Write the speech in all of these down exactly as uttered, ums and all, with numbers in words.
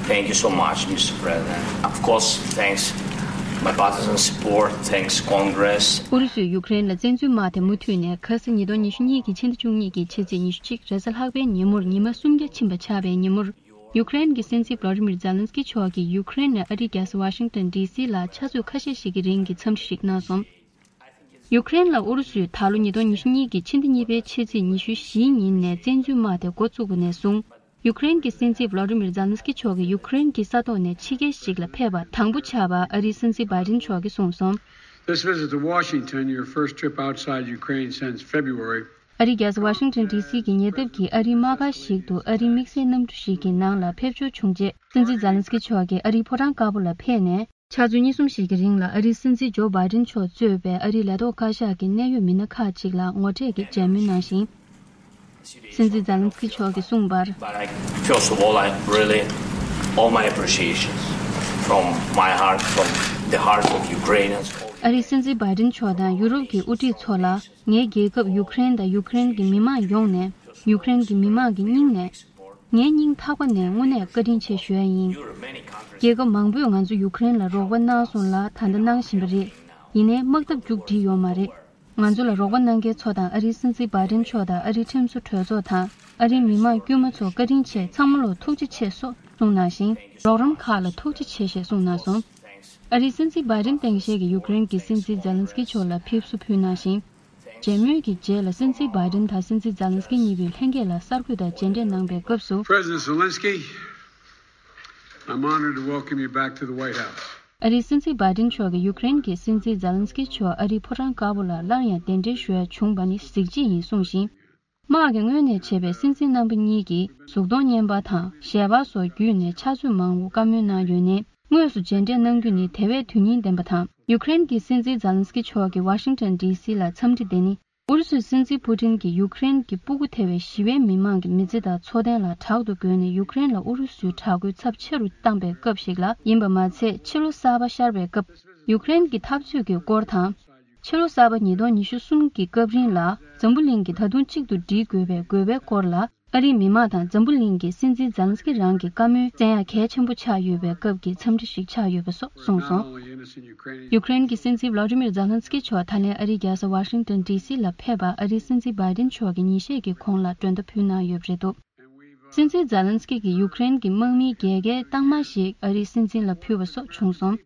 Thank you so much, Mister President. Of course, thanks my partisan support, thanks Congress. ཨུ་རུ་སུས་ཡུཀ་རེན་ལ་བཙན་འཛུལ་དམག་དེ་མུ་མཐུད་ནས་ཁ་སང་ཉིས་སྟོང་ཉི་ཤུ་གཉིས་ཀྱི་ཕྱི་ཟླ་བཅུ་གཉིས་ཀྱི་ཕྱི་ཚེས་ཉི་ཤུ་གཅིག་རེས་གཟའ་ལྷག་པའི་ཉིན་མོར་ཉི་མ་སུམ་བརྒྱ་ཕྱིན་པ་ཆགས་པའི་ཉིན་མོར། ཡུཀ་རེན་གྱི་སྲིད་འཛིན་བྷ་ལོ་ཌི་མིར་ཛེ་ལན་སི་ཀི་མཆོག་གིས་ཡུཀ་རེན་ནས་ཨ་རིའི་རྒྱལ་ས་ཝ་ཤིང་ཏོན་ཌི་སི་ལ་ཆུ་ཚོད་ཁ་ཤས་ཤིག་གི་རིང་གི་འཚམས་འདྲི་ཞིག་གནང་སོང་། ཡུཀ་རེན་ལ་ཨུ་རུ་སུས་ད་ལོ་ཉིས་སྟོང་ཉི་ཤུ་གཉིས་ཀྱི་ཕྱི་ཟླ་གཉིས་པའི་ཕྱི་ཚེས་ཉི་ཤུ་བཞིའི་ཉིན་ནས་བཙན་འཛུལ་དམག་དེ་འགོ་བཙུགས་པ་ནས་བཟུང་། ཡུཀ་རེན་གྱི་སྲིད་འཛིན་བྷ་ལོ་ཌི་མིར་ཛེ་ལན་སི་ཀི་མཆོག་གིས་ཡུཀ་རེན་གྱི་ས་ཐོག་ནས་ཕྱི་རྒྱལ་ཞིག་ལ་ཕེབས་པ་དང་པོ་ཆགས་པ་ཨ་རིའི་སྲིད་འཛིན་བྷའི་ཌེན་མཆོག་གིས་གསུངས་སོང་། This visit to Washington, your first trip outside Ukraine since February. ཨ་རིའི་རྒྱལ་ས་ཝ་ཤིང་ཏོན་ཌི་སི་གི་ཉེ་འདབས་ཀྱི་ཨ་རིའི་དམག་སྒར་ཞིག་ཏུ་ཨ་རིའི་དམིགས་བསལ་གནམ་གྲུ་ཞིག་གི་ནང་ལ་ཕེབས་འབྱོར་བྱུང་རྗེས། སྲིད་འཛིན་ཛེ་ལན་སི་ཀི་མཆོག་གིས་ཨ་རིའི་ཕོ་བྲང་དཀར་པོ་ལ་ཕེབས་ནས། ཕྱག་ཚོད་གཉིས་གསུམ་ཞིག་གི་རིང་ལ་ཨ་རིའི་སྲིད་འཛིན་ཇོ་བྷའི་ཌེན་མཆོག་གཙོས་པའི་ཨ་རིའི་ལས་ཐོག་བཀའ་ཤག་གི་གནད་ཡོད་མི་སྣ་ཁག་ཅིག་ལ་ངོ་འཕྲད་ཀྱི་མཇལ་མོལ་གནང་ཞིང་། སྲིད་འཛིན་ཛེ་ལན་སི་ཀི་མཆོག་གིས་གསུངས་པར། But I, first of all, I really, all my appreciations from my heart, from the hearts of Ukrainians. ཨ་རིའི་སྲིད་འཛིན་བྷའི་ཌེན་མཆོག་དང་ཡུ་རོབ་ཀྱི་དབུ་ཁྲིད་ཚོ་ལ། ངའི་རྒྱལ་ཁབ་ཡུཀ་རེན་དང་ཡུཀ་རེན་གྱི་མི་མང་ཡོངས་ནས། ཡུཀ་རེན་གྱི་མི་མང་གི་སྙིང་ནས། ངའི་སྙིང་ཐག་པ་ནས་དངོས་གནས་བཀའ་དྲིན་ཆེ་ཞུ་ཡ་ཡིན། རྒྱལ་ཁབ་མང་པོས་ང་ཚོ་ཡུཀ་རེན་ལ་རོགས་པ་གནང་སོང་ལ་ད་ལྟ་གནང་བཞིན་པ་རེད། ཡིན་ནའི་དམག་འཐབ་མཇུག་སྒྲིལ་ཡོད་མ་རེད། ང་ཚོ་ལ་རོགས་པ་གནང་མཁན་ཚོ་དང་ཨ་རིའི་སྲིད་འཛིན་བྷའི་ཌེན་མཆོག་དང་ཨ་རིའི་ཁྲིམས་བཟོ་གྲོས་ཚོགས་དང་ཨ་རིའི་མི་མང་དཀྱུས་མ་ཚོ་བཀའ་དྲིན་ཆེ། ཚང་མ་ལ་ཐུགས་རྗེ་ཆེ་སོགས་གསུངས་གནང་ཞིང་། རོགས་རམ་ཁག་ལ་ཐུགས་རྗེ་ཆེ་ཞེས་གསུངས་གནང་སོང་། ཨ་རིའི་སྲིད་འཛིན་བྷའི་ཌེན་སྟངས་དཔྱལ་གྱིས་ཡུཀ་རེན་གྱི་སྲིད་འཛིན་ཛེ་ལན་སི་ཀི་མཆོག་ལ་ཕེབས་བསུ་ཕུལ་གནང་ཞིང་། མཇལ་མོལ་གྱི་རྗེས་ལ་སྲིད་འཛིན་བྷའི་ཌེན་དང་སྲིད་འཛིན་ཛེ་ལན་སི་ཀི་གཉིས་པོས་ལྷན་རྒྱས་ལ་གསར་འགོད་དང་མཇལ་འཕྲད་གནང་པའི་སྐབས་སུ། President Zelensky, I'm honored to welcome you back to the White House. ཨ་རིའི་སྲིད་འཛིན་བྷའི་ཌེན་མཆོག་གིས་ཡུཀ་རེན་གྱི་སྲིད་འཛིན་ཛེ་ལན་སི་ཀི་མཆོག་ཨ་རིའི་ཕོ་བྲང་དཀར་པོ་ལ་སླར་ཡང་གདན་འདྲེན་ཞུ་ཡ་བྱུང་བ་ནི་གཟི་བརྗིད་ཡིན་གསུངས་ཤིང་། དམག་གི་སྔོན་ནས་བྱས་པའི་སྲིད་འཛིན་རྣམ་པ་གཉིས་ཀྱིས་གཟུགས་མཐོང་བརྙན་པར་དང་ཞལ་པར་སོགས་བརྒྱུད་ནས་ཕྱག་ཚོད་མང་པོ་བཀའ་མོལ་གནང་ཡོད་ནའི། དངོས་སུ་མཇལ་འཕྲད་གནང་རྒྱུ་ནི་དེ་བས་དོན་སྙིང་ལྡན་པ་དང་། ཡུཀ་རེན་གྱི་སྲིད་འཛིན་ཛེ་ལན་སི་ཀི་མཆོག་གིས་ཝ་ཤིང་ཏོན་ཌི་སི་ལ་འཚམས་འདྲི་དེ་ནི། ཨུ་རུ་སུའི་སྲིད་འཛིན་པུ་ཏིན་གྱིས་ཡུཀ་རེན་གྱི་སྤུ་གུ་ཐེ་བའི་ཞི་བའི་མི་མང་གི་མི་ཚེ་དང་འཚོ་རྟེན་ལ་དྲག་ཏུ་རྒོལ་ནས་ཡུཀ་རེན་ལ་ཨུ་རུ་སུའི་དྲག་རྒོལ་ཚབས་ཆེ་རུ་བཏང་པའི་སྐབས་ཤིག་ལ་ཡིན་པ་མ་ཚད། ཕྱི་ལོ་གསར་པ་ཤར་བའི་སྐབས། ཡུཀ་རེན་གྱི་འཐབ་རྩོད་ཀྱི་སྐོར་དང་། ཕྱི་ལོ་གསར་པ་ཉིས་སྟོང་ཉི་ཤུ་གསུམ་གྱི་སྐབས་རིང་ལ་འཛམ་བུ་གླིང་གིས་ད་དུང་གཅིག་ཏུ་སྒྲིལ་དགོས་པའི་དགོས་པའི་སྐོར་ལ། ཨ་རིའི་མི་མང་དང་འཛམ་བུ་གླིང་གིས་སྲིད་འཛིན་ཛེ་ལན་སི་ཀི་རང་གི་བཀའ་མོལ་གསན་ཡག་གལ་ཆེན་པོ་ཆགས་ཡོད་པའི་སྐབས་ཀྱི་འཚམས་འདྲི་ཞིག་ཆགས་ཡོད་པ་སོགས་གསུངས་སོང་། ཡུཀ་རེན་གྱི་སྲིད་འཛིན་ཝ་ལ་ཏི་མིར་ཛེ་ལན་སི་ཀི་མཆོག་ད་ལན་ཨ་རིའི་རྒྱལ་ས་ཝ་ཤིང་ཏོན་ཌི་སི་ལ་ཕེབས་པ་ཨ་རིའི་སྲིད་འཛིན་བྷའི་ཏིན་མཆོག་གིས་ཉིན་ཤས་ཀྱི་གོང་ལ་མགྲོན་བརྡ་ཕུལ་གནང་ཡོད་པ་རེད་འདུག་སྲིད་འཛིན་ཛེ་ལན་སི་ཀི་གིས་ཡུཀ་རེན་གྱི་དམག་མིའི་རྒྱལ་ཁའི་རྟགས་མ་ཞིག་ཨ་རིའི་སྲིད་འཛིན་ལ་ཕུལ་བ་སོགས་བྱུང་སོང་།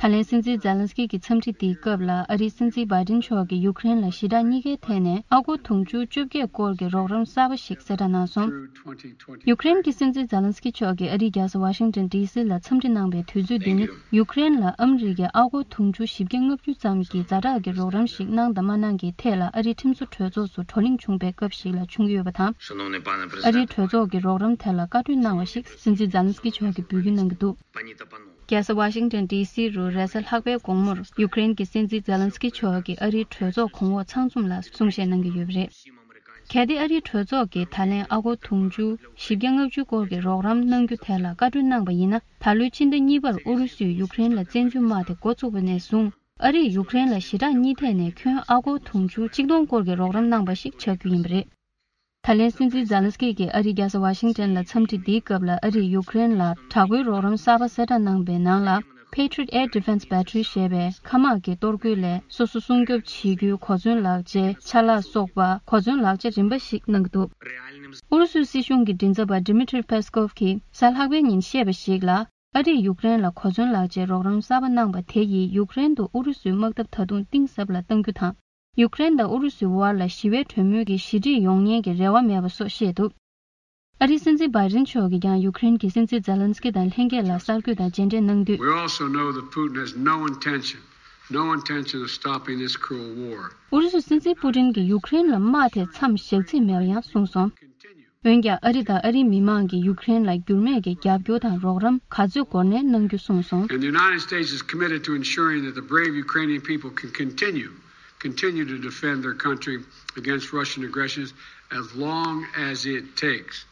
ད་ལན་སྲིད་འཛིན་ཛེ་ལན་སི་ཀི་གི་འཚམས་འདྲི་འདིའི་སྐབས་ལ་ཨ་རིའི་སྲིད་འཛིན་བྷའི་ཏིན་མཆོག་གིས་ཡུཀ་རེན་ལ་ཞི་དྲག་གཉིས་ཀའི་ཐད་ནས་ཨ་སྒོར་དུང་ཕྱུར་བཅོ་བརྒྱད་སྐོར་གྱི་རོགས་རམ་གསར་པ་ཞིག་གསལ་བསྒྲགས་གནང་སོང་། ཡུཀ་རེན་གྱི་སྲིད་འཛིན་ཛེ་ལན་སི་ཀི་མཆོག་གིས་ཨ་རིའི་རྒྱལ་ས་ཝ་ཤིང་ཏོན་ཌི་སི་ལ་འཚམས་འདྲི་གནང་པའི་དུས་ཚོད་འདི་ནི་ཡུཀ་རེན་ལ་ཨ་མི་རི་ཀས་ཨ་སྒོར་དུང་ཕྱུར་བཞི་བརྒྱ་ལྔ་བཅུ་ཙམ་གྱི་ཛ་དྲག་གི་རོགས་རམ་ཞིག་གནང་དང་མ་གནང་གི་ཐད་ལ་ཨ་རིའི་ཁྲིམས་བཟོ་གྲོས་ཚོགས་སུ་བགྲོ་གླེང་བྱུང་པའི་སྐབས་ཤིག་ལ་བྱུང་ཡོད་པ་དང་། ཨ་རིའི་གྲོས་ཚོགས་ཀྱི་རོགས་རམ་ཐད་ལ་བཀའ་འཁྲོལ་གནང་བ་ཞིག་སྲིད་འཛིན་ཛེ་ལན་སི་ཀི་མཆོག་གིས་འབོད་སྐུལ་གནང་གི་འདུག་རྒྱལ་ས་ཝ་ཤིང་ཏོན་ཌི་སི་རུ་རེས་གཟའ་ལྷག་པའི་དགོང་མོར་ཡུཀ་རེན་གྱི་སྲིད་འཛིན་ཛེ་ལན་སི་ཀི་མཆོག་གིས་ཨ་རིའི་གྲོས་ཚོགས་གོང་འོག་ཚང་འཛོམས་ལ་གསུང་བཤད་གནང་གི་ཡོད་པ་རེད། གལ་ཏེ་ཨ་རིའི་གྲོས་ཚོགས་ཀྱིས་ད་ལན་ཨ་སྒོར་དུང་ཕྱུར་བཞི་བརྒྱ་ལྔ་བཅུ་སྐོར་གྱི་རོགས་རམ་གནང་རྒྱུ་ཐད་ལ་བཀའ་འཁྲོལ་གནང་པ་ཡིན་ན། ད་ལོའི་ཕྱི་ཟླ་གཉིས་པར་ཨུ་རུ་སུས་ཡུཀ་རེན་ལ་བཙན་འཛུལ་དམག་དེ་འགོ་བཙུགས་པ་ནས་བཟུང་། ཨ་རིས་ཡུཀ་རེན་ལ་ཞི་དྲག་གཉིས་ཐད་ནས་ཁྱོན་ཨ་སྒོར་དུང་ཕྱུར་ཆིག་སྟོང་སྐོར་གྱི་རོགས་རམ་གནང་པ་ཞིག་ཆགས་རྒྱུ་ཡིན་པ་རེད། ད་ལན་སྲིད་འཛིན་ཛེ་ལན་སི་ཀི་གིས་ཨ་རིའི་རྒྱལ་ས་ཝ་ཤིང་ཏོན་ལ་འཚམས་འདྲི་འདིའི་སྐབས་ལ་ཨ་རིས་ཡུཀ་རེན་ལ་དྲག་པོའི་རོགས་རམ་གསར་པ་གསལ་བསྒྲགས་གནང་པའི་ནང་ལ། Patriot Air Defense Battery ཞེས་པའི་མཁའ་དམག་གི་གཏོར་རྒོལ་ལས་སོ་སོ་སྲུང་སྐྱོབ་བྱེད་རྒྱུའི་གོ་མཚོན་ལག་ཆའི་ཆ་ལག་སོགས་པ་གོ་མཚོན་ལག་ཆ་རིམ་པ་ཞིག་གནང་གི་འདུག་ཨུ་རུ་སུའི་སྲིད་གཞུང་གི་མགྲིན་ཚབ་པ་Dmitry Peskov གིས་གཟའ་ལྷག་པའི་ཉིན་བཤད་པ་ཞིག་ལ། ཨ་རིས་ཡུཀ་རེན་ལ་གོ་མཚོན་ལག་ཆའི་རོགས་རམ་གསར་པ་གནང་པ་དེ་ཡིས་ཡུཀ་རེན་དུ་ཨུ་རུ་སུའི་དམག་འཐབ་ད་དུང་གཏིང་ཟབ་ལ་གཏང་རྒྱུ་དང་། ཡུཀ་རེན་དང་ཨུ་རུ་སུའི་དབར་ལ་ཞི་བའི་གྲོས་མོལ་གྱི་ཞི་འགྲིག་ཡོང་ཉེན་གྱི་རེ་བ་མེད་པ་སོགས་བཤད་འདུག་ཨ་རིའི་སྲིད་འཛིན་བྷའི་ཏིན་མཆོག་གིས་ཀྱང་ཡུཀ་རེན་གྱི་སྲིད་འཛིན་ཛེ་ལན་སི་ཀི་དང་ལྷན་རྒྱས་ལ་གསར་འགོད་དང་མཇལ་འཕྲད་གནང་དུས། We also know that Putin has no intention, no intention of stopping this cruel war. ཨུ་རུ་སུའི་སྲིད་འཛིན་པུ་ཏིན་གྱིས་ཡུཀ་རེན་ལ་དམག་དེ་མཚམས་བཞག་རྩིས་མེད་པ་ཡང་གསུངས་སོང་། འོན་ཀྱང་ཨ་རི་དང་ཨ་རིའི་མི་མང་གིས་ཡུཀ་རེན་ལ་འགྱུར་མེད་ཀྱི་རྒྱབ་སྐྱོར་དང་རོགས་རམ་ག་ཚོད་འགོར་ནའི་གནང་རྒྱུ་གསུངས་སོང་། And the United States is committed to ensuring that the brave Ukrainian people can continue, continue to defend their country against Russian aggressions as long as it takes.